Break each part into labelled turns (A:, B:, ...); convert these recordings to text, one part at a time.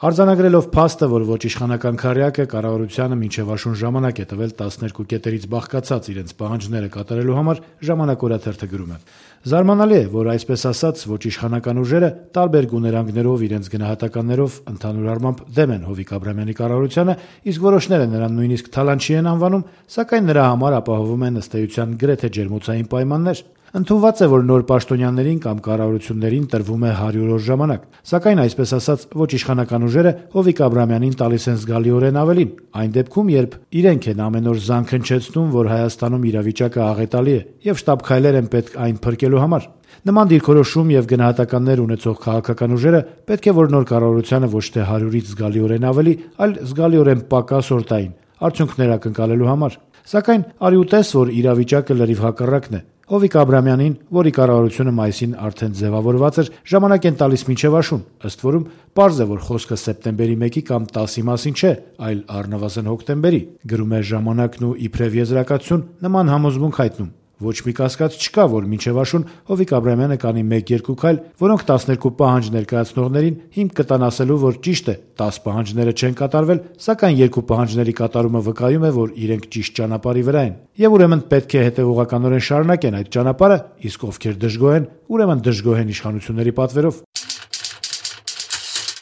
A: Արձանագրելով փաստը, որ ոչ իշխանական քառյակը կառավարությանը մինչև աշուն ժամանակ է տվել 12 կետերից բաղկացած իրենց պահանջները կատարելու համար, «Ժամանակ» օրաթերթը գրում է. «Զարմանալի է, որ այսպես ասած ոչ իշխանական ուժերը տարբեր գուներանգներով իրենց գնահատականներով ընդհանուր առմամբ դեմ են Հովիկ Աբրահամյանի կառավարությանը, իսկ որոշները նրան նույնիսկ թալանչի են անվանում, սակայն նրա համար ապահովում են ըստ էության գրեթե ջերմոցային պայմաններ։ Ընդունված է, որ նոր պաշտոնյաներին կամ կառավարություններին տրվում է 100 օր ժամանակ, սակայն այսպես ասած ոչ իշխանական ուժերը Հովիկ Աբրահամյանին տալիս են զգալիորեն ավելին, այն դեպքում, երբ իրենք են ամեն օր զանգ հնչեցնում, որ Հայաստանում իրավիճակը աղետալի է եւ շտապ քայլեր են պետք այն փրկելու համար։ Նման դիրքորոշում եւ գնահատականներ ունեցող քաղաքական ուժերը պետք է որ նոր կառավարությանը ոչ թե 100-ից զգալիորեն ավելի, այլ զգալիորեն պակաս օր տային արդյունքներ ակնկալելու համար։ Սակայն արի ու տես, որ իրավիճակը լրիվ հակառակն է։ Հովիկ Աբրահամյանին, որի կառավարությունը մայիսին արդեն ձևավորված էր, ժամանակ են տալիս մինչև աշուն, ըստ որում պարզ է, որ խոսքը սեպտեմբերի 1-ի կամ 10-ի մասին չէ, այլ առնվազն հոկտեմբերի, գրում է «Ժամանակն» ու իբրև եզրակացություն նման համոզմունք հայտնում։ Ոչ մի կասկած չկա, որ մինչև աշուն Հովիկ Աբրահամյանը կանի 1-2 քայլ, որոնք 12 պահանջ ներկայացնողներին հիմք կտան ասելու, որ ճիշտ է, 10 պահանջները չեն կատարվել, սակայն 2 պահանջների կատարումը վկայում է, որ իրենք ճիշտ ճանապարհի վրա են։ Եվ ուրեմն պետք է հետևողականորեն շարունակեն այդ ճանապարհը, իսկ ովքեր դժգոհ են, ուրեմն դժգոհ են իշխանությունների պատվերով։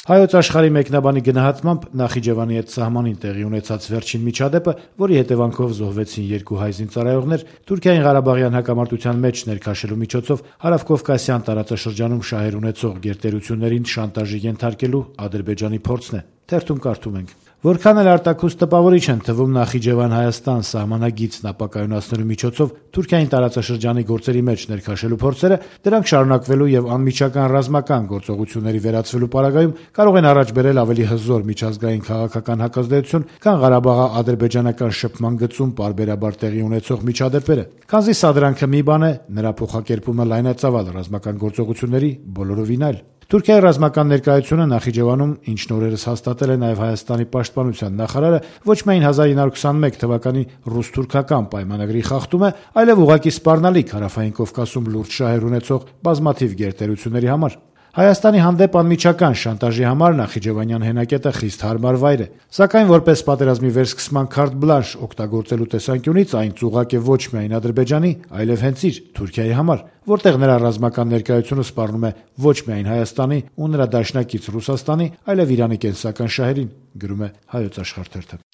A: Հայոց Աշխարհի մեկնաբանի գնահատմամբ Նախիջևանի հետ սահմանին տեղի ունեցած վերջին միջադեպը, որի հետևանքով զոհվեցին 2 հայ զինծառայողներ, Թուրքիային Ղարաբաղյան հակամարտության մեջ ներքաշելու միջոցով Հարավկովկասյան տարածաշրջանում շահեր ունեցող գերտերություններին շանտաժի ենթարկելու Ադրբեջանի փորձն է։ Թերթում կարդում ենք. Որքան էլ արտաքուստ տպավորիչ են թվում Նախիջևան-Հայաստան սահմանագիծն ապակայունացնելու միջոցով Թուրքիային տարածաշրջանի գործերի մեջ ներքաշելու փորձերը, դրանք շարունակվելու եւ անմիջական ռազմական գործողությունների վերածվելու պարագայում կարող են առաջ բերել ավելի հզոր միջազգային քաղաքական հակազդեցություն, քան Ղարաբաղա-ադրբեջանական շփման գծում պարբերաբար տեղի ունեցող միջադեպերը։ Քանզի սա դրանքը մի բան է, նրա փոխակերպումը լայնածավալ ռազմական գործողությունների բոլորովին այլ։ Թուրքիայի ռազմական ներկայությունը Նախիջևանում, ինչն օրերս հաստատել է նաև Հայաստանի պաշտպանության նախարարը, ոչ միայն 1921 թվականի ռուս-թուրքական պայմանագրի խախտում է, այլև ուղղակի սպառնալիք Հարավային Կովկասում լուրջ շահեր ունեցող բազմաթիվ գերտերությունների համար։ Հայաստանի հանդեպ անմիջական շանտաժի համար Նախիջևանյան հենակետը խիստ հարմար վայր է, սակայն որպես պատերազմի վերսկսման քարտ բլանշ օգտագործելու տեսանկյունից այն ծուղակ է ոչ միայն Ադրբեջանի, այլև հենց իր Թուրքիայի համար, որտեղ նրա ռազմական ներկայությունը սպառնում է ոչ միայն Հայաստանի ու նրա դաշնակից Ռուսաստանի, այլև Իրանի կենսական շահերին, գրում է Հայոց Աշխարհ թերթը։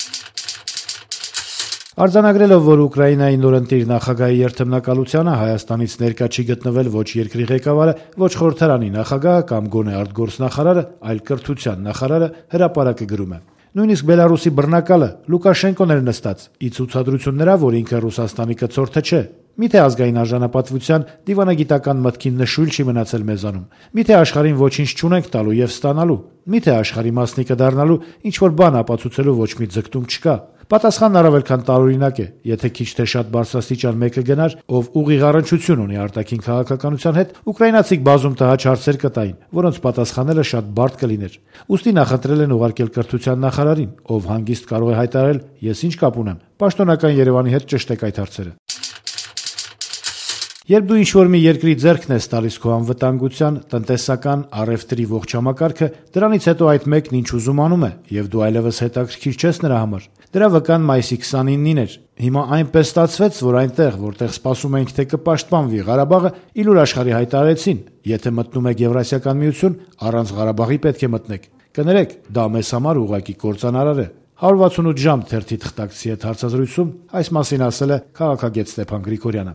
A: Արձանագրելով, որ Ուկրաինայի նորընտիր նախագահի երթմնակալությանը Հայաստանից ներկա չի գտնվել ոչ երկրի ղեկավարը, ոչ խորհրդարանի նախագահը կամ գոնե արտգործնախարարը, այլ կրթության նախարարը, հրապարակը գրում է. Նույնիսկ Բելարուսի բռնակալը Լուկաշենկոն էր նստած, ի ցուցադրություն նրա, որ ինքը Ռուսաստանի կցորդը չէ։ Միթե ազգային արժանապատվության դիվանագիտական մտքին նշույլ չի մնացել մեզանում։ Միթե աշխարհին ոչինչ չունենք տալու եւ ստանալու։ Միթե աշխարհի մասնիկը դառնալու ինչ որ բան ապացուցելու ոչ մի ձգտում չկա։ Պատասխանն առավել քան տարօրինակ է, եթե քիչ թե շատ բարձրաստիճան մեկը գնար, ով ուղիղ առնչություն ունի արտաքին քաղաքականության հետ, ուկրաինացիք բազում տհաճ հարցեր կտային, որոնց պատասխանելը շատ բարդ կլիներ։ Ուստի նախընտրել են ուղարկել կրթության նախարարին, ով հանգիստ կարող է հայտարարել. «Ես ինչ կապ ունեմ, պաշտոնական Երևանի հետ ճշտեք այդ հարցերը»։ Երբ դու ինչ-որ մի երկրի ձեռքն ես տալիս քո անվտանգության, տնտեսական, առևտրի ողջ համակարգը, դրանից հետո այդ մեկն ինչ ուզում անում է, եւ դու այլևս հետաքրքիր չես նրա համար։ Դրա վկան մայիսի 29-ին էր։ Հիմա այնպես ստացվեց, որ այնտեղ, որտեղ սպասում էինք, թե կպաշտպանվի Ղարաբաղը, իլուր աշխարհի հայտարարեցին. եթե մտնում եք Եվրասիական միություն, առանց Ղարաբաղի պետք է մտնեք։ Կներեք, դա մեզ համար ուղղակի կործանարար է։ 168 ժամ թերթի թղթակցի հետ հարցազրույցում այս մասին ասել է քաղաքագետ Ստեփան Գրիգորյանը։